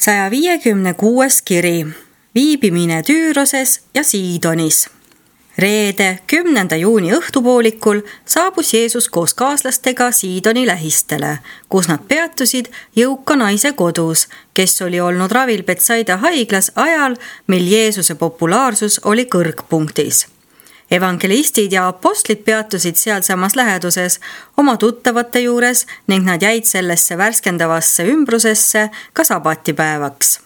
156. kiri. Viibimine Tüüroses ja Siidonis. Reede, 10. juuni õhtupoolikul saabus Jeesus koos kaaslastega Siidoni lähistele, kus nad peatusid jõuka naise kodus, kes oli olnud ravil Betsaida haiglas ajal, mil Jeesuse populaarsus oli kõrgpunktis. Evangelistid ja apostlid peatusid sealsamas läheduses oma tuttavate juures ning nad jäid sellesse värskendavasse ümbrusesse ka sabatipäevaks.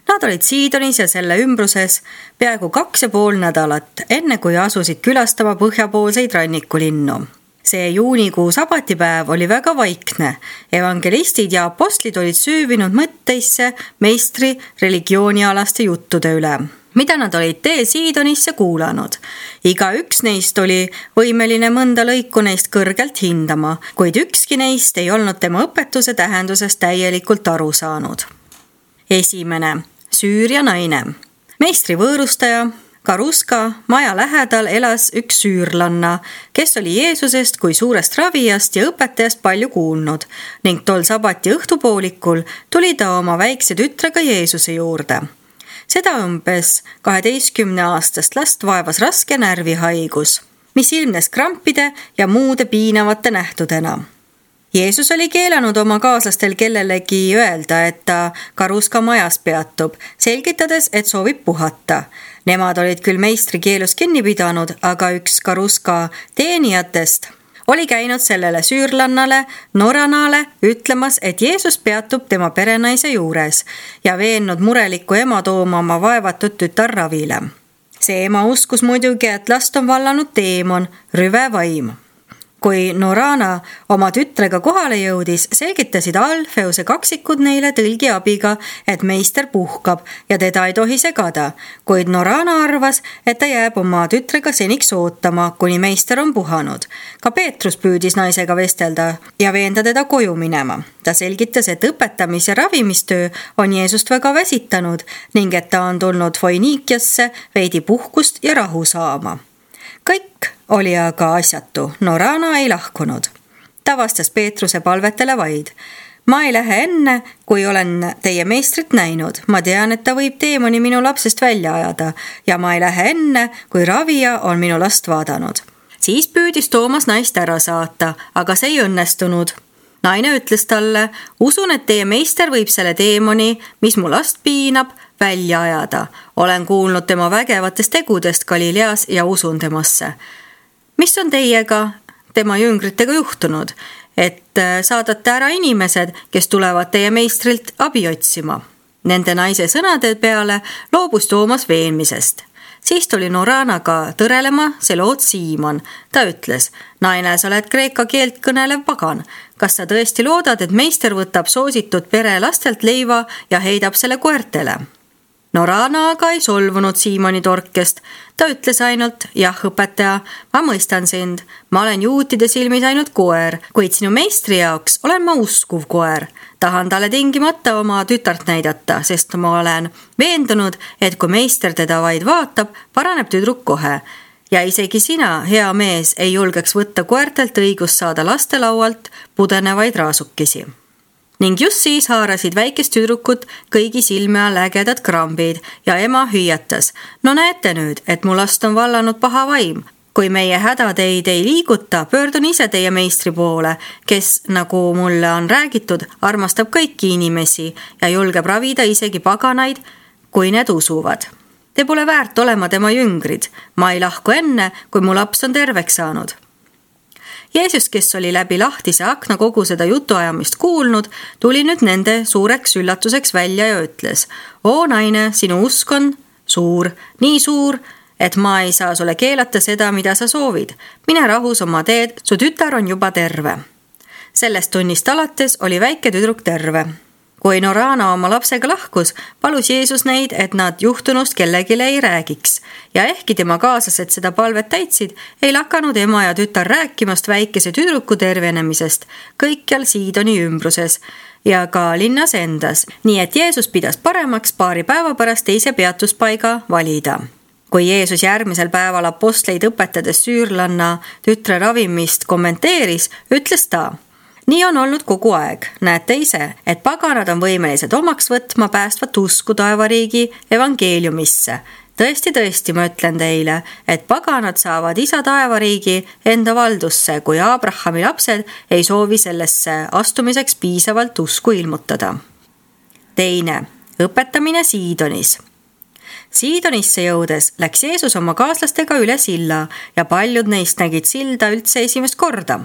Nad olid Siidonis ja selle ümbruses peaaegu 2,5 nädalat, enne kui asusid külastama põhjapoolseid rannikulinnu. See juunikuu sabatipäev oli väga vaikne. Evangelistid ja apostlid olid süüvinud mõtteisse meistri religioonialaste juttude üle, mida nad olid tee Siidonisse kuulanud. Igaüks neist oli võimeline mõnda lõiku neist kõrgelt hindama, kuid ükski neist ei olnud tema õpetuse tähendusest täielikult aru saanud. Esimene, Süüria naine. Meistri võõrustaja Karuska maja lähedal elas üks süürlanna, kes oli Jeesusest kui suurest ravijast ja õpetajast palju kuulnud ning tol sabati õhtupoolikul tuli ta oma väikse tütrega Jeesuse juurde. Seda umbes 12-aastast last vaevas raske närvihaigus, mis ilmnes krampide ja muude piinavate nähtudena. Jeesus oli keelanud oma kaaslastel kellelegi öelda, et ta Karuska majas peatub, selgitades, et soovib puhata. Nemad olid küll meistri keelust kinni pidanud, aga üks Karuska teenijatest oli käinud sellele süürlannale, Noranale, ütlemas, et Jeesus peatub tema perenaise juures ja veennud murelikku ema tooma oma vaevatud tütar ravile. See ema uskus muidugi, et last on vallanud teemon, rüve vaim. Kui Norana oma tütrega kohale jõudis, selgitasid Alfeuse kaksikud neile tõlgi abiga, et meister puhkab ja teda ei tohi segada, kuid Norana arvas, et ta jääb oma tütrega seniks ootama, kuni meister on puhanud. Ka Peetrus püüdis naisega vestelda ja veenda teda koju minema. Ta selgitas, et õpetamis- ja ravimistöö on Jeesust väga väsitanud ning et ta on tulnud Foiniikiasse veidi puhkust ja rahu saama. Kõik oli aga asjatu, Norana ei lahkunud. Ta vastas Peetruse palvetele vaid. Ma ei lähe enne, kui olen teie meistrit näinud. Ma tean, et ta võib teemoni minu lapsest välja ajada ja ma ei lähe enne, kui ravija on minu last vaadanud. Siis püüdis Toomas naist ära saata, aga see ei õnnestunud. Naine ütles talle, usun, et teie meister võib selle teemoni, mis mu last piinab, välja ajada. Olen kuulnud tema vägevatest tegudest Galileas ja usun temasse. Mis on teiega, tema jüngritega juhtunud, et saadate ära inimesed, kes tulevad teie meistrilt abi otsima? Nende naise sõnade peale loobus Toomas veenmisest. Siis tuli Noranaga tõrelema Seloot Siimon. Ta ütles, naine, sa oled kreeka keelt kõnelev pagan. Kas sa tõesti loodad, et meister võtab soositud pere lastelt leiva ja heidab selle koertele? Norana aga ei solvunud Siimoni torkest. Ta ütles ainult, jah, õpetaja, ma mõistan sind. Ma olen juutide silmis ainult koer, kuid sinu meistri jaoks olen ma uskuv koer. Tahan talle tingimata oma tütart näidata, sest ma olen veendunud, et kui meister teda vaid vaatab, paraneb tüdruk kohe. Ja isegi sina, hea mees, ei julgeks võtta koertelt õigust saada lastelaualt pudenevaid raasukesi. Ning just siis haarasid väikest tüdrukut kõigi silme all ägedad krambid ja ema hüüatas. No näete nüüd, et mu last on vallanud paha vaim. Kui meie hädateid ei liiguta, pöördun ise teie meistri poole, kes, nagu mulle on räägitud, armastab kõiki inimesi ja julgeb ravida isegi paganaid, kui need usuvad. Te pole väärt olema tema jüngrid. Ma ei lahku enne, kui mu laps on terveks saanud. Jeesus, kes oli läbi lahtise akna kogu seda jutuajamist kuulnud, tuli nüüd nende suureks üllatuseks välja ja ütles, O naine, sinu usk on suur, nii suur, et ma ei saa sulle keelata seda, mida sa soovid. Mine rahus oma teed, su tütar on juba terve. Sellest tunnist alates oli väike tüdruk terve. Kui Norana oma lapsega lahkus, palus Jeesus neid, et nad juhtunust kellegile ei räägiks. Ja ehkki tema kaaslased seda palvet täitsid, ei lakanud ema ja tütar rääkimast väikese tüdruku tervenemisest kõikjal Siidoni ümbruses ja ka linnas endas. Nii et Jeesus pidas paremaks paari päeva pärast teise peatuspaiga valida. Kui Jeesus järgmisel päeval apostleid õpetades süürlanna tütre ravimist kommenteeris, ütles ta, Nii on olnud kogu aeg. Näete ise, et paganad on võimelised omaks võtma päästvat usku taevariigi evangeeliumisse. Tõesti, ma ütlen teile, et paganad saavad isa taevariigi enda valdusse, kui Abrahami lapsed ei soovi sellesse astumiseks piisavalt usku ilmutada. Teine, õpetamine Siidonis. Siidonisse jõudes läks Jeesus oma kaaslastega üle silla ja paljud neist nägid silda üldse esimest korda.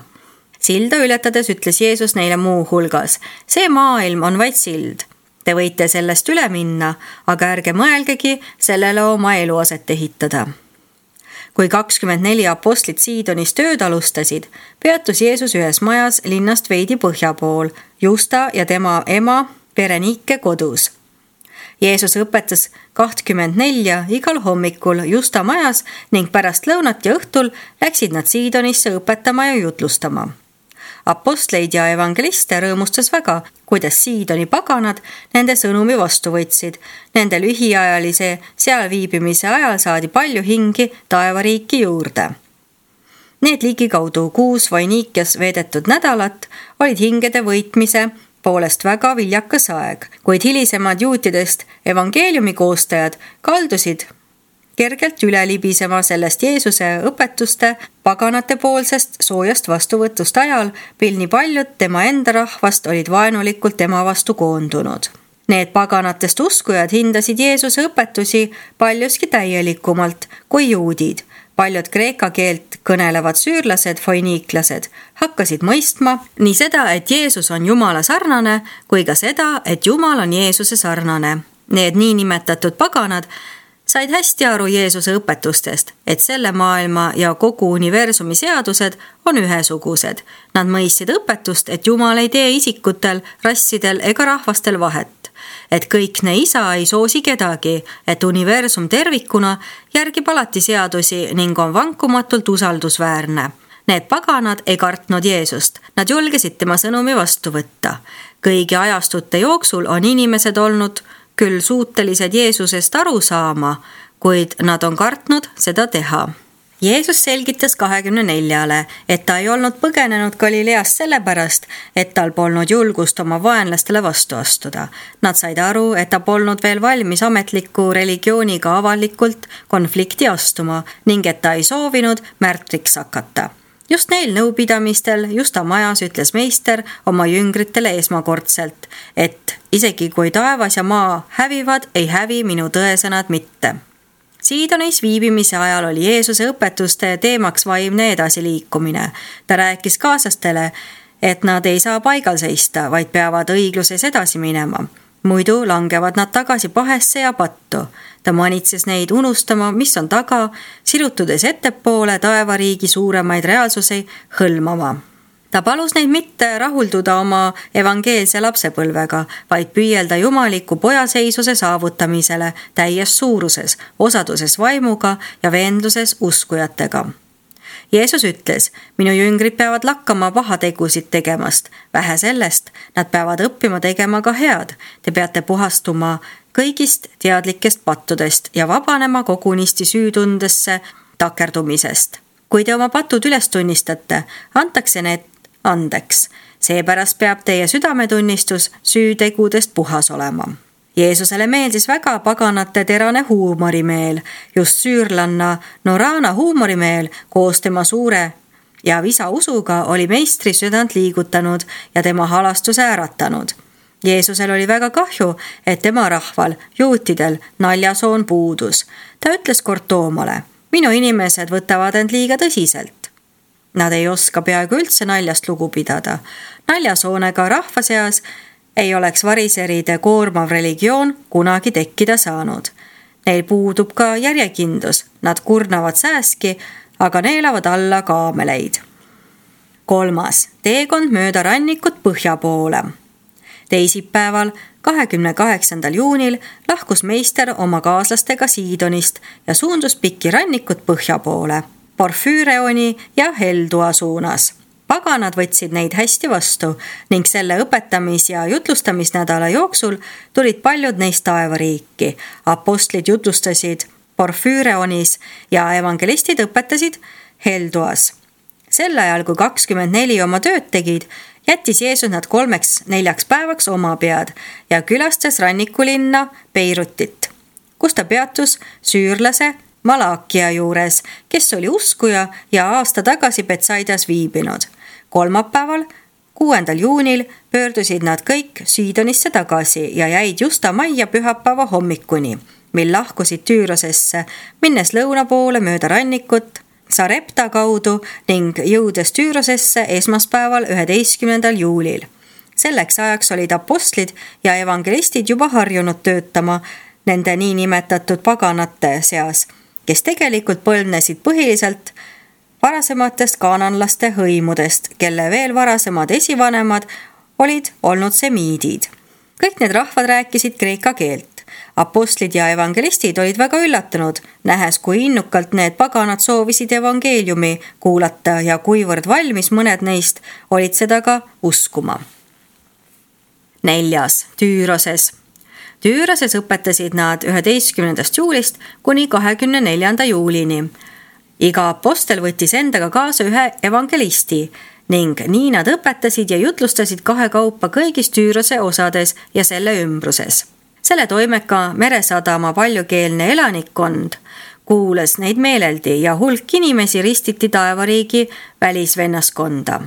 Silda ületades ütles Jeesus neile muu hulgas: see maailm on vaid sild. Te võite sellest üle minna, aga ärge mõelgegi sellele oma eluaset ehitada. Kui 24 apostlit Siidonis tööd alustasid, peatus Jeesus ühes majas linnast veidi põhja pool, Justa ja tema ema Berenike kodus. Jeesus õpetas 24 igal hommikul Justa majas ning pärast lõunat ja õhtul läksid nad Siidonisse õpetama ja jutlustama. Apostleid ja evangeliste rõõmustas väga, kuidas Siidoni paganad nende sõnumi vastu võtsid. Nende lühiajalise seal viibimise ajal saadi palju hingi taevariiki juurde. Need ligikaudu 6 Foinikias veedetud nädalat olid hingede võitmise poolest väga viljakas aeg, kuid hilisemad juutidest evangeeliumi koostajad kaldusid kergelt üle libisema sellest Jeesuse õpetuste paganate poolsest soojast vastuvõtust ajal, mil nii paljud tema enda rahvast olid vaenulikult tema vastu koondunud. Need paganatest uskujad hindasid Jeesuse õpetusi paljuski täielikumalt kui juudid. Paljud kreeka keelt kõnelevad süürlased, foiniiklased hakkasid mõistma nii seda, et Jeesus on Jumala sarnane, kui ka seda, et Jumal on Jeesuse sarnane. Need niinimetatud paganad said hästi aru Jeesuse õpetustest, et selle maailma ja kogu universumi seadused on ühesugused. Nad mõistsid õpetust, et Jumal ei tee isikutel, rassidel ega rahvastel vahet. Et kõikne isa ei soosi kedagi, et universum tervikuna järgib alati seadusi ning on vankumatult usaldusväärne. Need paganad ei kartnud Jeesust, nad julgesid tema sõnumi vastu võtta. Kõigi ajastute jooksul on inimesed olnud küll suutelised Jeesusest aru saama, kuid nad on kartnud seda teha. Jeesus selgitas 24-le, et ta ei olnud põgenenud Galileast sellepärast, et tal polnud julgust oma vaenlastele vastu astuda. Nad said aru, et ta polnud veel valmis ametliku religiooniga avalikult konflikti astuma ning et ta ei soovinud märtriks hakata. Just neil nõupidamistel Justa majas ütles meister oma jüngritele esmakordselt, et isegi kui taevas ja maa hävivad, ei hävi minu tõesõnad mitte. Siidonis viibimise ajal oli Jeesuse õpetuste teemaks vaimne edasiliikumine. Ta rääkis kaaslastele, et nad ei saa paigal seista, vaid peavad õigluses edasi minema. Muidu langevad nad tagasi pahesse ja pattu. Ta manitses neid unustama, mis on taga, sirutudes ettepoole taevariigi suuremaid reaalsusi hõlmama. Ta palus neid mitte rahulduda oma evangeelse lapsepõlvega, vaid püüelda jumaliku pojaseisuse saavutamisele täies suuruses, osaduses vaimuga ja veendluses uskujatega. Jeesus ütles, minu jüngrid peavad lakkama pahategusid tegemast. Vähe sellest, nad peavad õppima tegema ka head. Te peate puhastuma kõigist teadlikest pattudest ja vabanema kogunisti süütundesse takerdumisest. Kui te oma patud üles tunnistate, antakse need andeks. Seepärast peab teie südametunnistus süütegudest puhas olema. Jeesusele meeldis väga paganate terane huumorimeel, just süürlanna Norana huumorimeel koos tema suure ja visa usuga oli meistri südant liigutanud ja tema halastuse äratanud. Jeesusel oli väga kahju, et tema rahval, juutidel, naljasoon puudus. Ta ütles kord Toomale, minu inimesed võtavad end liiga tõsiselt. Nad ei oska peaaegu üldse naljast lugu pidada. Naljasoonega rahva seas ei oleks variseride koormav religioon kunagi tekkida saanud. Neil puudub ka järjekindlus, nad kurnavad sääski, aga neelavad alla kaameleid. 3. Teekond mööda rannikut põhja poole. Teisipäeval, 28. juunil lahkus meister oma kaaslastega Siidonist ja suundus pikki rannikut põhja poole, Porfüüreoni ja Heldua suunas. Paganad võtsid neid hästi vastu ning selle õpetamis- ja jutlustamisnädala jooksul tulid paljud neist taevariiki. Apostlid jutlustasid Porfüüreonis ja evangelistid õpetasid Helduas. Sel ajal, kui 24 oma tööd tegid, Jättis Jeesus nad 3-4 päevaks oma pead ja külastas rannikulinna Beirutit, kus ta peatus süürlase Malakia juures, kes oli uskuja ja aasta tagasi Betsaidas viibinud. Kolmapäeval, 6. juunil pöördusid nad kõik Siidonisse tagasi ja jäid Justa majja pühapäeva hommikuni, mil lahkusid Tüürosesse, minnes lõuna poole mööda rannikut Sarepta kaudu ning jõudes Tüürosesse esmaspäeval 11. juulil. Selleks ajaks olid apostlid ja evangelistid juba harjunud töötama nende niinimetatud paganate seas, kes tegelikult põlvnesid põhiliselt varasematest kaananlaste hõimudest, kelle veel varasemad esivanemad olid olnud semiidid. Kõik need rahvad rääkisid kreeka keelt. Apostlid ja evangelistid olid väga üllatunud, nähes, kui innukalt need paganad soovisid evangeeliumi kuulata ja kuivõrd valmis mõned neist olid seda ka uskuma. 4. Tüüroses. Tüüroses õpetasid nad 11. juulist kuni 24. juulini. Iga apostel võttis endaga kaasa ühe evangelisti ning nii nad õpetasid ja jutlustasid kahekaupa kõigis Tüürose osades ja selle ümbruses. Selle toimeka meresadama paljukeelne elanikkond kuulas neid meeleldi ja hulk inimesi ristiti taevariigi välisvennaskonda.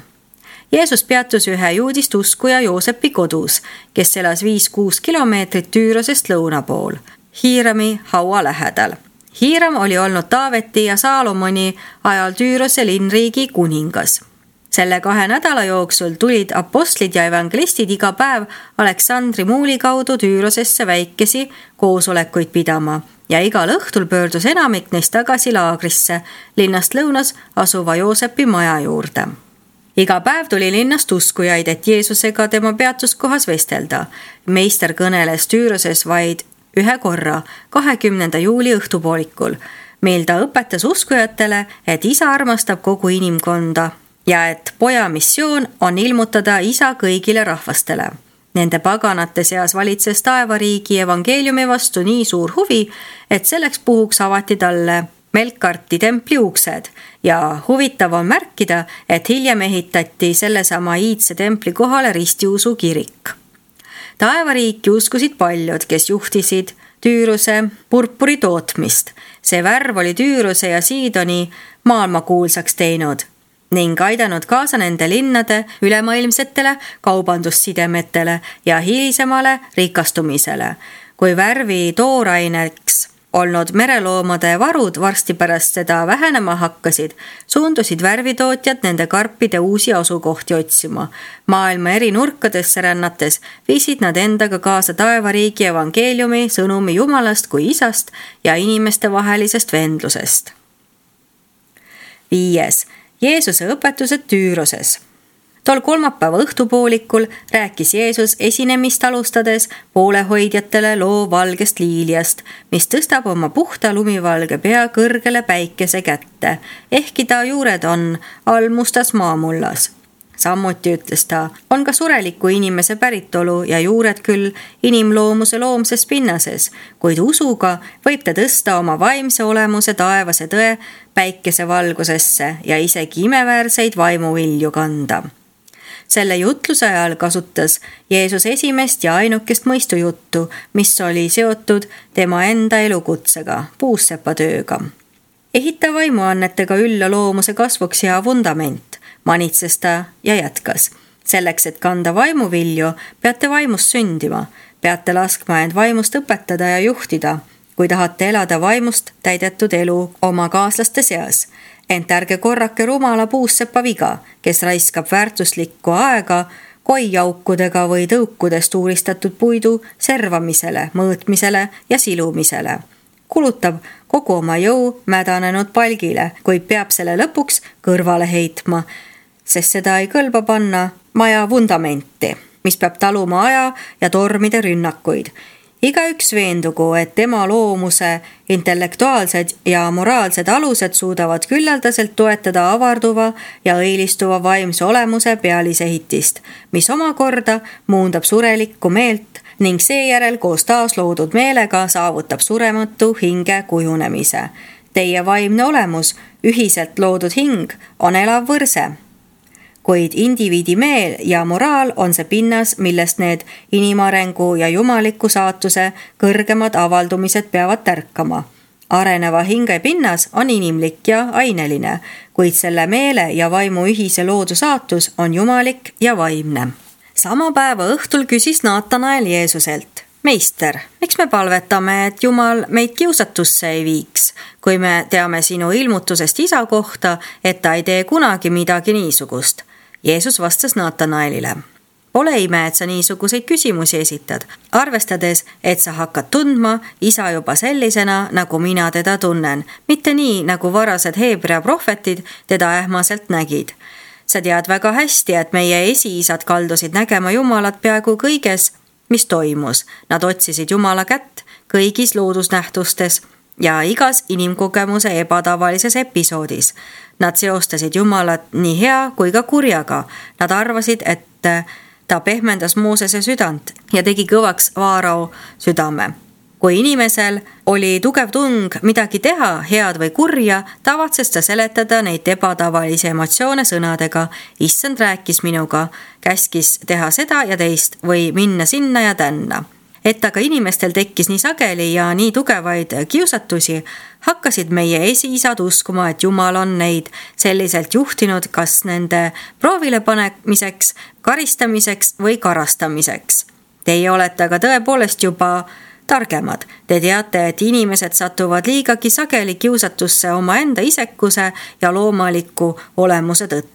Jeesus peatus ühe juudist uskuja Joosepi kodus, kes elas 5-6 kilomeetrit Tüürosest lõuna pool, Hiirami haua lähedal. Hiiram oli olnud Taaveti ja Saalomoni ajal Tüürose linnriigi kuningas. Selle 2 nädala jooksul tulid apostlid ja evangelistid iga päev Aleksandri muuli kaudu Tüürosesse väikesi koosolekuid pidama ja igal õhtul pöördus enamik neist tagasi laagrisse linnast lõunas asuva Joosepi maja juurde. Iga päev tuli linnast uskujaid, et Jeesusega tema peatuskohas vestelda. Meister kõneles Tüüroses vaid ühe korra, 20. juuli õhtupoolikul, mil ta õpetas uskujatele, et isa armastab kogu inimkonda ja et poja missioon on ilmutada isa kõigile rahvastele. Nende paganate seas valitses taevariigi evangeeliumi vastu nii suur huvi, et selleks puhuks avati talle Melkarti templi uksed ja huvitav on märkida, et hiljem ehitati sellesama iidse templi kohale ristiusu kirik. Taevariiki uskusid paljud, kes juhtisid Tüürose purpuri tootmist. See värv oli Tüürose ja Siidoni maailmakuulsaks teinud ning aidanud kaasa nende linnade ülemaailmsetele kaubandussidemetele ja hilisemale rikastumisele. Kui värvi tooraineks olnud mereloomade varud varsti pärast seda vähenema hakkasid, suundusid värvitootjad nende karpide uusi asukohti otsima. Maailma eri nurkadesse rännates viisid nad endaga kaasa taevariigi evangeeliumi sõnumi Jumalast kui isast ja inimeste vahelisest vendlusest. 5. Jeesuse õpetused Tüüroses. Tol kolmapäeva õhtupoolikul rääkis Jeesus esinemist alustades poolehoidjatele loo valgest liiliast, mis tõstab oma puhta lumivalge pea kõrgele päikese kätte, ehkki ta juured on all mustas maamullas. Samuti ütles ta, on ka sureliku inimese päritolu ja juured küll inimloomuse loomses pinnases, kuid usuga võib ta tõsta oma vaimse olemuse taevase tõe päikese valgusesse ja isegi imeväärseid vaimuvilju kanda. Selle jutluse ajal kasutas Jeesus esimest ja ainukest mõistujuttu, mis oli seotud tema enda elukutsega, puussepatööga. Ehita vaimuannetega ülla loomuse kasvuks hea vundament, manitses ta ja jätkas. Selleks, et kanda vaimuvilju, peate vaimust sündima, peate laskma end vaimust õpetada ja juhtida, kui tahate elada vaimust täidetud elu oma kaaslaste seas. Ent ärge korrake rumala puussepa viga, kes raiskab väärtuslikku aega koiaukudega või tõukudest uuristatud puidu servamisele, mõõtmisele ja silumisele. Kulutab kogu oma jõu mädanenud palgile, kuid peab selle lõpuks kõrvale heitma, sest seda ei kõlba panna maja vundamenti, mis peab taluma aja ja tormide rünnakuid. Igaüks veendugu, et tema loomuse intellektuaalsed ja moraalsed alused suudavad küllaldaselt toetada avarduva ja õilistuva vaimse olemuse pealisehitist, mis omakorda muundab surelikku meelt ning seejärel koos taas loodud meelega saavutab surematu hinge kujunemise. Teie vaimne olemus, ühiselt loodud hing, on elav võrse. kuid indiviidi meel ja moraal on see pinnas, millest need inimarengu ja jumaliku saatuse kõrgemad avaldumised peavad tärkama. Areneva hinge pinnas on inimlik ja aineline, kuid selle meele ja vaimu ühise loodu saatus on jumalik ja vaimne. Sama päeva õhtul küsis Naatanael Jeesuselt: Meister, miks me palvetame, et Jumal meid kiusatusse ei viiks, kui me teame sinu ilmutusest isa kohta, et ta ei tee kunagi midagi niisugust? Jeesus vastas Naatanaelile: Pole ime, et sa niisuguseid küsimusi esitad, arvestades, et sa hakkad tundma isa juba sellisena, nagu mina teda tunnen, mitte nii, nagu varased Heebrea prohvetid teda ähmaselt nägid. Sa tead väga hästi, et meie esiisad kaldusid nägema Jumalat peaaegu kõiges, mis toimus. Nad otsisid Jumala kätt kõigis loodusnähtustes ja igas inimkogemuse ebatavalises episoodis. Nad seostasid Jumalat nii hea kui ka kurjaga. Nad arvasid, et ta pehmendas Moosese südant ja tegi kõvaks Vaarao südame. Kui inimesel oli tugev tung midagi teha, head või kurja, tavatses ta seletada neid ebatavalisi emotsioone sõnadega: Issand rääkis minuga, käskis teha seda ja teist või minna sinna ja tänna. Et aga inimestel tekkis nii sageli ja nii tugevaid kiusatusi, hakkasid meie esiisad uskuma, et Jumal on neid selliselt juhtinud kas nende proovile panemiseks, karistamiseks või karastamiseks. Teie olete aga tõepoolest juba targemad. Te teate, et inimesed satuvad liigagi sageli kiusatusse omaenda isekuse ja loomaliku olemuse tõttu.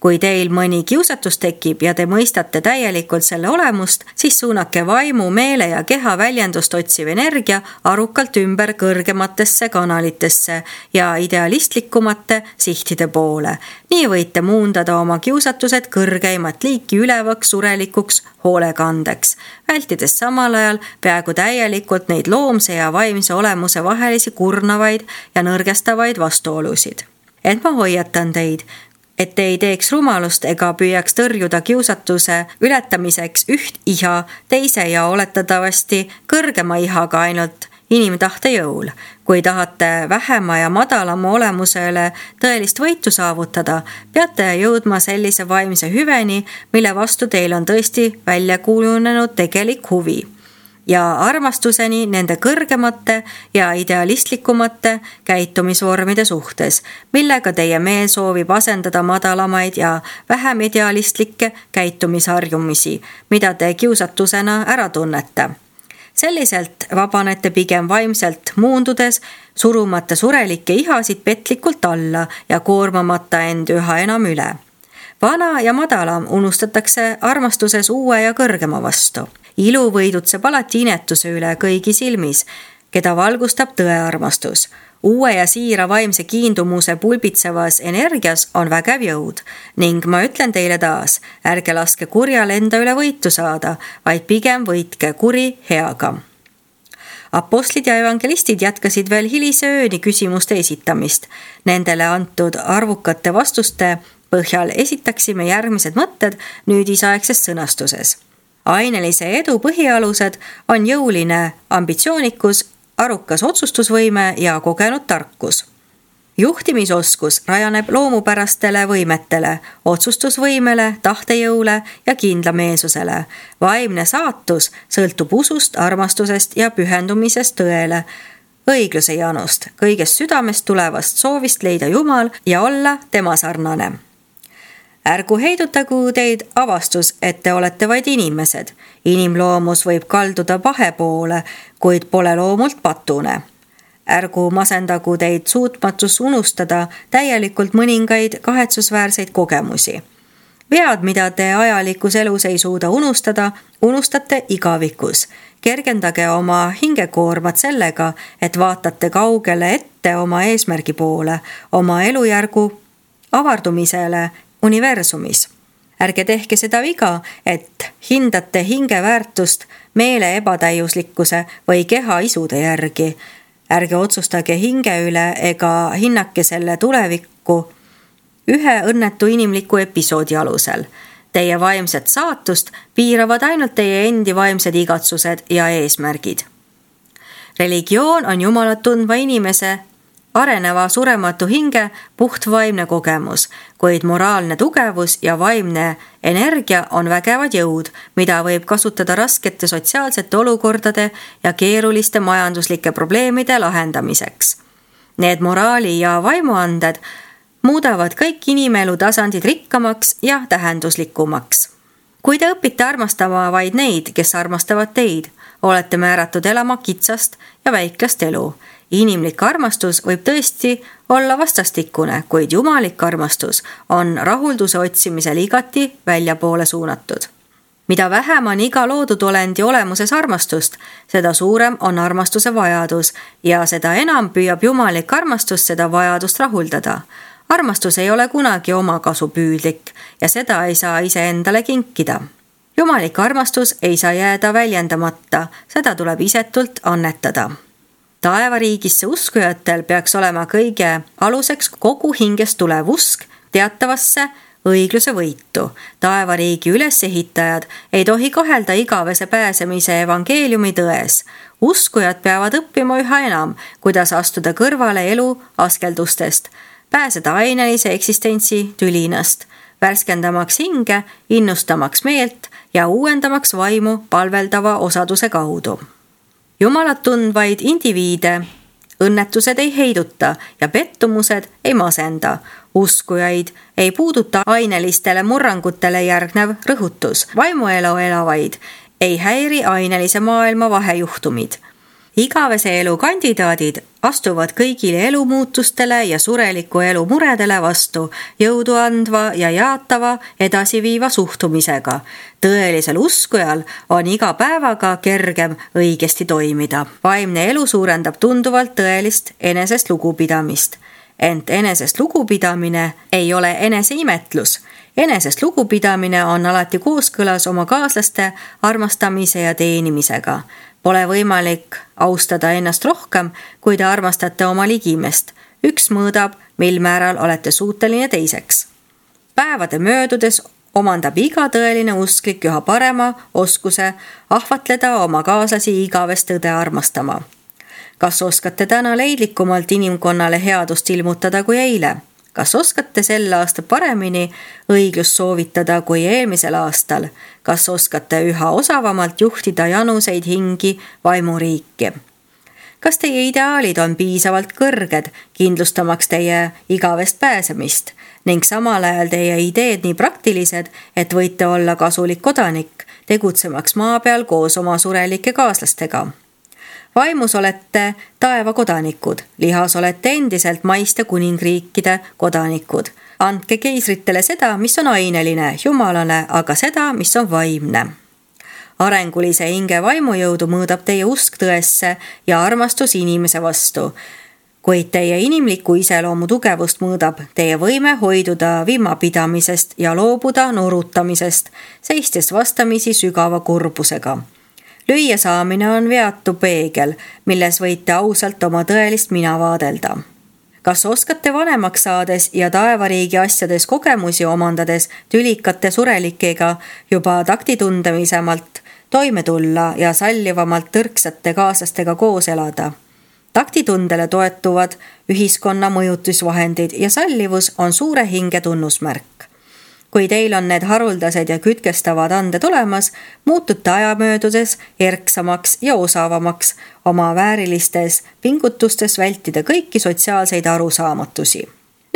Kui teil mõni kiusatus tekib ja te mõistate täielikult selle olemust, siis suunake vaimu, meele ja keha väljendust otsiv energia arukalt ümber kõrgematesse kanalitesse ja idealistlikumate sihtide poole. Nii võite muundada oma kiusatused kõrgeimat liiki ülevaks surelikuks hoolekandeks, vältides samal ajal peaaegu täielikult neid loomse ja vaimse olemuse vahelisi kurnavaid ja nõrgestavaid vastuolusid. Et ma hoiatan teid, et te ei teeks rumalust ega püüaks tõrjuda kiusatuse ületamiseks üht iha teise ja oletatavasti kõrgema ihaga ainult inimtahte jõul. Kui tahate vähema ja madalama olemusele tõelist võitu saavutada, peate jõudma sellise vaimse hüveni, mille vastu teil on tõesti välja kujunenud tegelik huvi. Ja armastuseni nende kõrgemate ja idealistlikumate käitumisvormide suhtes, millega teie meel soovib asendada madalamaid ja vähem idealistlikke käitumisharjumisi, mida te kiusatusena ära tunnete. Selliselt vabanete pigem vaimselt muundudes, surumata surelikke ihasid petlikult alla ja koormamata end üha enam üle. Vana ja madalam unustatakse armastuses uue ja kõrgema vastu. Ilu võidutseb alati inetuse üle kõigi silmis, keda valgustab tõearmastus. Uue ja siira vaimse kiindumuse pulbitsevas energias on vägev jõud ning ma ütlen teile taas, ärge laske kurjal enda üle võitu saada, vaid pigem võitke kuri heaga. Apostlid ja evangelistid jätkasid veel hilise ööni küsimuste esitamist. Nendele antud arvukate vastuste põhjal esitaksime järgmised mõtted nüüdisaegses sõnastuses. Ainelise edu põhialused on jõuline ambitsioonikus, arukas otsustusvõime ja kogenud tarkus. Juhtimisoskus rajaneb loomupärastele võimetele, otsustusvõimele, tahtejõule ja kindlameelsusele. Vaimne saatus sõltub usust, armastusest ja pühendumisest tõele, õigluse janust, kõigest südamest tulevast soovist leida Jumal ja olla tema sarnane. Ärgu heidutagu teid avastus, et te olete vaid inimesed. Inimloomus võib kalduda pahe poole, kuid pole loomult patune. Ärgu masendagu teid suutmatus unustada täielikult mõningaid kahetsusväärseid kogemusi. Vead, mida te ajalikus elus ei suuda unustada, unustate igavikus. Kergendage oma hingekoormat sellega, et vaatate kaugele ette oma eesmärgi poole, oma elujärgu avardumisele universumis. Ärge tehke seda viga, et hindate hinge väärtust meele ebatäiuslikkuse või keha isude järgi. Ärge otsustage hinge üle ega hinnake selle tulevikku ühe õnnetu inimliku episoodi alusel. Teie vaimset saatust piiravad ainult teie endi vaimsed igatsused ja eesmärgid. Religioon on Jumalat tundva inimese areneva surematu hinge puhtvaimne kogemus, kuid moraalne tugevus ja vaimne energia on vägevad jõud, mida võib kasutada raskete sotsiaalsete olukordade ja keeruliste majanduslike probleemide lahendamiseks. Need moraali- ja vaimuanded muudavad kõik inimelu tasandid rikkamaks ja tähenduslikumaks. Kui te õpite armastama vaid neid, kes armastavad teid, olete määratud elama kitsast ja väiklast elu. Inimlik armastus võib tõesti olla vastastikune, kuid jumalik armastus on rahulduse otsimisel igati väljapoole suunatud. Mida vähem on iga loodud olendi olemuses armastust, seda suurem on armastuse vajadus ja seda enam püüab jumalik armastus seda vajadust rahuldada. Armastus ei ole kunagi omakasupüüdlik ja seda ei saa iseendale kinkida. Jumalik armastus ei saa jääda väljendamata, seda tuleb isetult annetada. Taevariigisse uskujatel peaks olema kõige aluseks kogu hingest tulev usk teatavasse õigluse võitu. Taevariigi ülesehitajad ei tohi kahelda igavese pääsemise evangeeliumi tões. Uskujad peavad õppima üha enam, kuidas astuda kõrvale elu askeldustest, pääseda ainelise eksistentsi tülinast, värskendamaks hinge, innustamaks meelt ja uuendamaks vaimu palveldava osaduse kaudu. Jumalat tundvaid indiviide õnnetused ei heiduta ja pettumused ei masenda. Uskujaid ei puuduta ainelistele murrangutele järgnev rõhutus. Vaimuelu elavaid ei häiri ainelise maailma vahejuhtumid. Igavese elu kandidaadid astuvad kõigile elumuutustele ja sureliku elu muredele vastu jõudu andva ja jaatava edasiviiva suhtumisega. Tõelisel uskujal on iga päevaga kergem õigesti toimida. Vaimne elu suurendab tunduvalt tõelist enesest lugupidamist. Ent enesest lugupidamine ei ole eneseimetlus. Enesest lugupidamine on alati kooskõlas oma kaaslaste armastamise ja teenimisega. Pole võimalik austada ennast rohkem, kui te armastate oma ligimest. Üks mõõdab, mil määral olete suuteline teiseks. Päevade möödudes omandab iga tõeline usklik üha parema oskuse ahvatleda oma kaaslasi igavest tõde armastama. Kas oskate täna leidlikumalt inimkonnale headust ilmutada kui eile? Kas oskate sel aasta paremini õiglust soovitada kui eelmisel aastal? Kas oskate üha osavamalt juhtida januseid hingi vaimuriiki? Kas teie ideaalid on piisavalt kõrged, kindlustamaks teie igavest pääsemist ning samal ajal teie ideed nii praktilised, et võite olla kasulik kodanik, tegutsemaks maa peal koos oma surelike kaaslastega? Vaimus olete taeva kodanikud, lihas olete endiselt maiste kuningriikide kodanikud. Andke keisritele seda, mis on aineline, jumalane, aga seda, mis on vaimne. Arengulise hinge vaimujõudu mõõdab teie usk tõesse ja armastus inimese vastu, kuid teie inimliku iseloomu tugevust mõõdab teie võime hoiduda vimapidamisest ja loobuda nurutamisest, seistes vastamisi sügava kurbusega. Lüüa saamine on veatu peegel, milles võite ausalt oma tõelist mina vaadelda. Kas oskate vanemaks saades ja taevariigi asjades kogemusi omandades tülikate surelikega juba taktitundemisemalt toime tulla ja sallivamalt tõrksate kaaslastega koos elada? Taktitundele toetuvad ühiskonna mõjutusvahendid ja sallivus on suure hinge tunnusmärk. Kui teil on need haruldased ja kütkestavad anded olemas, muutute aja möödudes erksamaks ja osavamaks oma väärilistes pingutustes vältida kõiki sotsiaalseid arusaamatusi.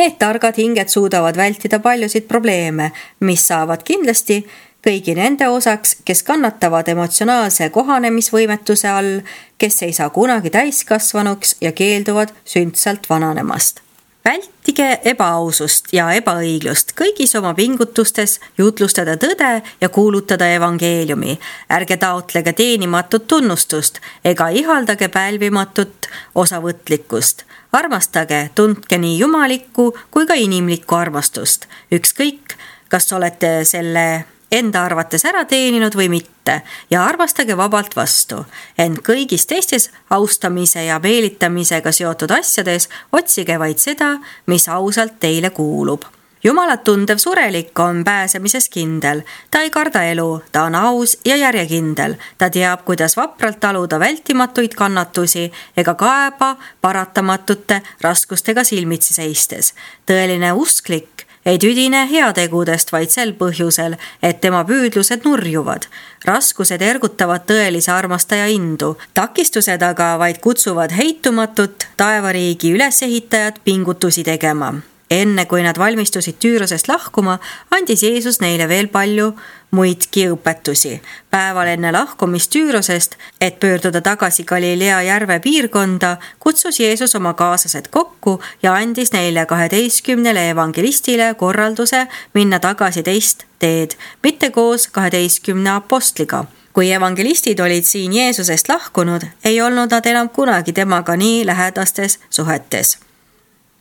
Need targad hinged suudavad vältida paljusid probleeme, mis saavad kindlasti kõigi nende osaks, kes kannatavad emotsionaalse kohanemisvõimetuse all, kes ei saa kunagi täiskasvanuks ja keelduvad sündsalt vananemast. Vältige ebaausust ja ebaõiglust kõigis oma pingutustes jutlustada tõde ja kuulutada evangeeliumi. Ärge taotlege teenimatut tunnustust ega ihaldage pälvimatut osavõtlikkust. Armastage, tundke nii jumalikku kui ka inimlikku armastust. Ükskõik, kas olete selle enda arvates ära teeninud või mitte ja armastage vabalt vastu. Ent kõigis teistes austamise ja meelitamisega seotud asjades otsige vaid seda, mis ausalt teile kuulub. Jumalat tundev surelik on pääsemises kindel. Ta ei karda elu, ta on aus ja järjekindel. Ta teab, kuidas vapralt taluda vältimatuid kannatusi ega kaeba paratamatute raskustega silmitsi seistes. Tõeline usklik ei tüdine heategudest vaid sel põhjusel, et tema püüdlused nurjuvad. Raskused ergutavad tõelise armastaja indu. Takistused aga vaid kutsuvad heitumatut taevariigi ülesehitajat pingutusi tegema. Enne kui nad valmistusid Tüürosest lahkuma, andis Jeesus neile veel palju muidki õpetusi. Päeval enne lahkumist Tüürosest, et pöörduda tagasi Galilea järve piirkonda, kutsus Jeesus oma kaaslased kokku ja andis neile 12 evangelistile korralduse minna tagasi teist teed, mitte koos 12 apostliga. Kui evangelistid olid siin Jeesusest lahkunud, ei olnud nad enam kunagi temaga nii lähedastes suhetes.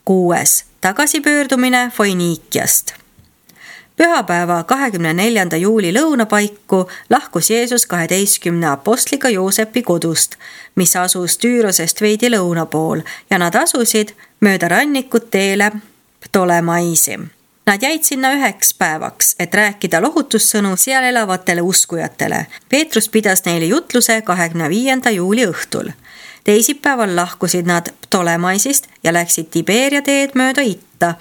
6. Tagasipöördumine Foiniikiast. Pühapäeva 24. juuli lõunapaiku lahkus Jeesus 12 apostliga Joosepi kodust, mis asus Tüürosest veidi lõuna pool, ja nad asusid mööda rannikut teele Ptolemaisi. Nad jäid sinna 1 päevaks, et rääkida lohutussõnu seal elavatele uskujatele. Peetrus pidas neile jutluse 25. juuli õhtul. Teisipäeval lahkusid nad Ptolemaisist ja läksid Tiberia teed mööda itta,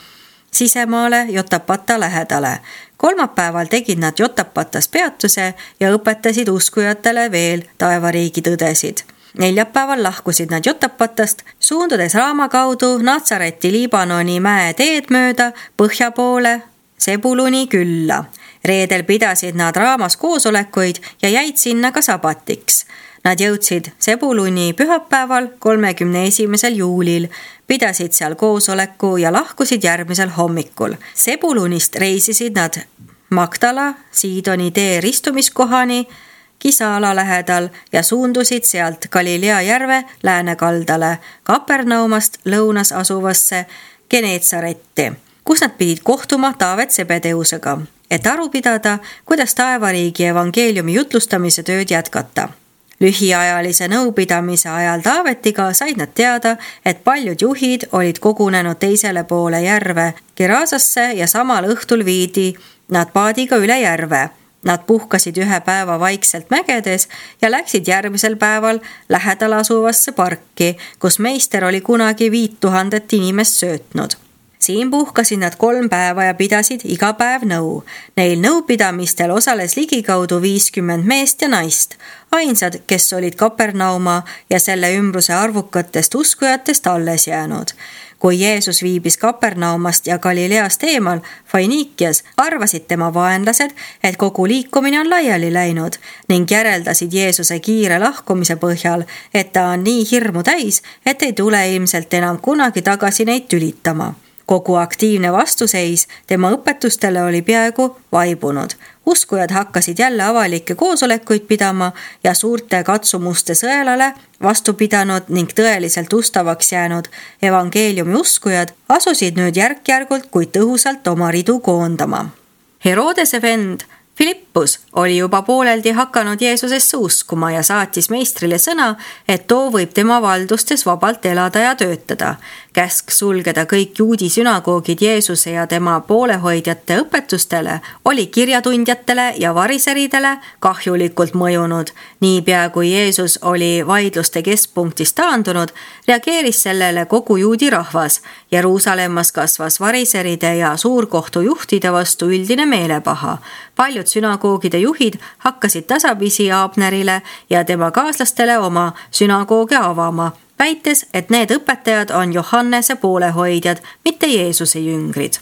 sisemaale Jotapata lähedale. Kolmapäeval tegid nad Jotapatas peatuse ja õpetasid uskujatele veel taevariigi tõdesid. Neljapäeval lahkusid nad Jotapatast, suundudes Raama kaudu Natsareti Liibanoni mäe teed mööda põhja poole Sebuluni külla. Reedel pidasid nad Raamas koosolekuid ja jäid sinna ka sabatiks. Nad jõudsid Sebuluni pühapäeval 31. juulil, pidasid seal koosoleku ja lahkusid järgmisel hommikul. Sebulunist reisisid nad Magdala, Siidoni tee ristumiskohani Kisala lähedal ja suundusid sealt Galilea järve läänekaldale Kapernaumast lõunas asuvasse Geneetsaretti, kus nad pidid kohtuma Taavet Sebedeusega, et aru pidada, kuidas taevariigi evangeeliumi jutlustamise tööd jätkata. Lühiajalise nõupidamise ajal Taavetiga said nad teada, et paljud juhid olid kogunenud teisele poole järve Gerasasse ja samal õhtul viidi nad paadiga üle järve. Nad puhkasid 1 päeva vaikselt mägedes ja läksid järgmisel päeval lähedal asuvasse parki, kus meister oli kunagi 5000 inimest söötnud. Siin puhkasid nad 3 päeva ja pidasid iga päev nõu. Neil nõupidamistel osales ligikaudu 50 meest ja naist, ainsad, kes olid Kapernauma ja selle ümbruse arvukatest uskujatest alles jäänud. Kui Jeesus viibis Kapernaumast ja Galileast eemal Foiniikias, arvasid tema vaenlased, et kogu liikumine on laiali läinud ning järeldasid Jeesuse kiire lahkumise põhjal, et ta on nii hirmu täis, et ei tule ilmselt enam kunagi tagasi neid tülitama. Kogu aktiivne vastuseis tema õpetustele oli peaaegu vaibunud. Uskujad hakkasid jälle avalikke koosolekuid pidama ja suurte katsumuste sõelale vastu pidanud ning tõeliselt ustavaks jäänud evangeeliumi uskujad asusid nüüd järk-järgult, kuid tõhusalt oma ridu koondama. Herodese vend Filippus oli juba pooleldi hakanud Jeesusesse uskuma ja saatis meistrile sõna, et too võib tema valdustes vabalt elada ja töötada. Käsk sulgeda kõik juudi sünagoogid Jeesuse ja tema poolehoidjate õpetustele oli kirjatundjatele ja variseridele kahjulikult mõjunud. Niipea kui Jeesus oli vaidluste keskpunktist taandunud, reageeris sellele kogu juudi rahvas. Jeruusalemmas kasvas variseride ja suurkohtu juhtide vastu üldine meelepaha. Paljud sünagoogide juhid hakkasid tasapisi Abnerile ja tema kaaslastele oma sünagooge avama, väites, et need õpetajad on Johannese poolehoidjad, mitte Jeesuse jüngrid.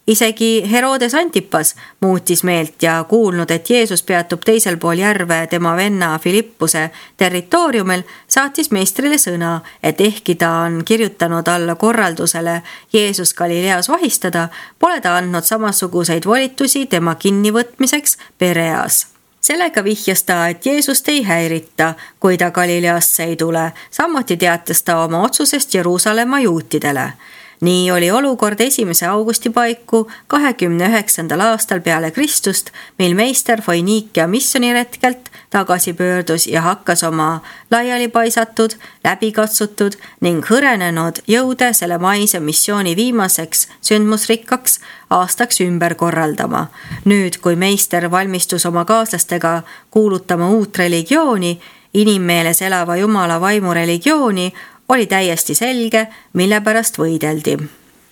Isegi Herodes Antipas muutis meelt ja kuulnud, et Jeesus peatub teisel pool järve tema venna Filippuse territooriumil, saatis meistrile sõna, et ehkki ta on kirjutanud alla korraldusele Jeesus Galileas vahistada, pole ta andnud samasuguseid volitusi tema kinnivõtmiseks Pereas. Sellega vihjas ta, et Jeesust ei häirita, kui ta Galileasse ei tule. Samuti teatas ta oma otsusest Jeruusalemma juutidele. Nii oli olukord 1. augusti paiku 29. aastal peale Kristust, mil meister Foinikia missioniretkelt tagasi pöördus ja hakkas oma laialipaisatud, läbikatsutud ning hõrenenud jõude selle maise missiooni viimaseks sündmusrikkaks aastaks ümber korraldama. Nüüd, kui meister valmistus oma kaaslastega kuulutama uut religiooni, inimmeeles elava Jumala vaimu religiooni, oli täiesti selge, mille pärast võideldi.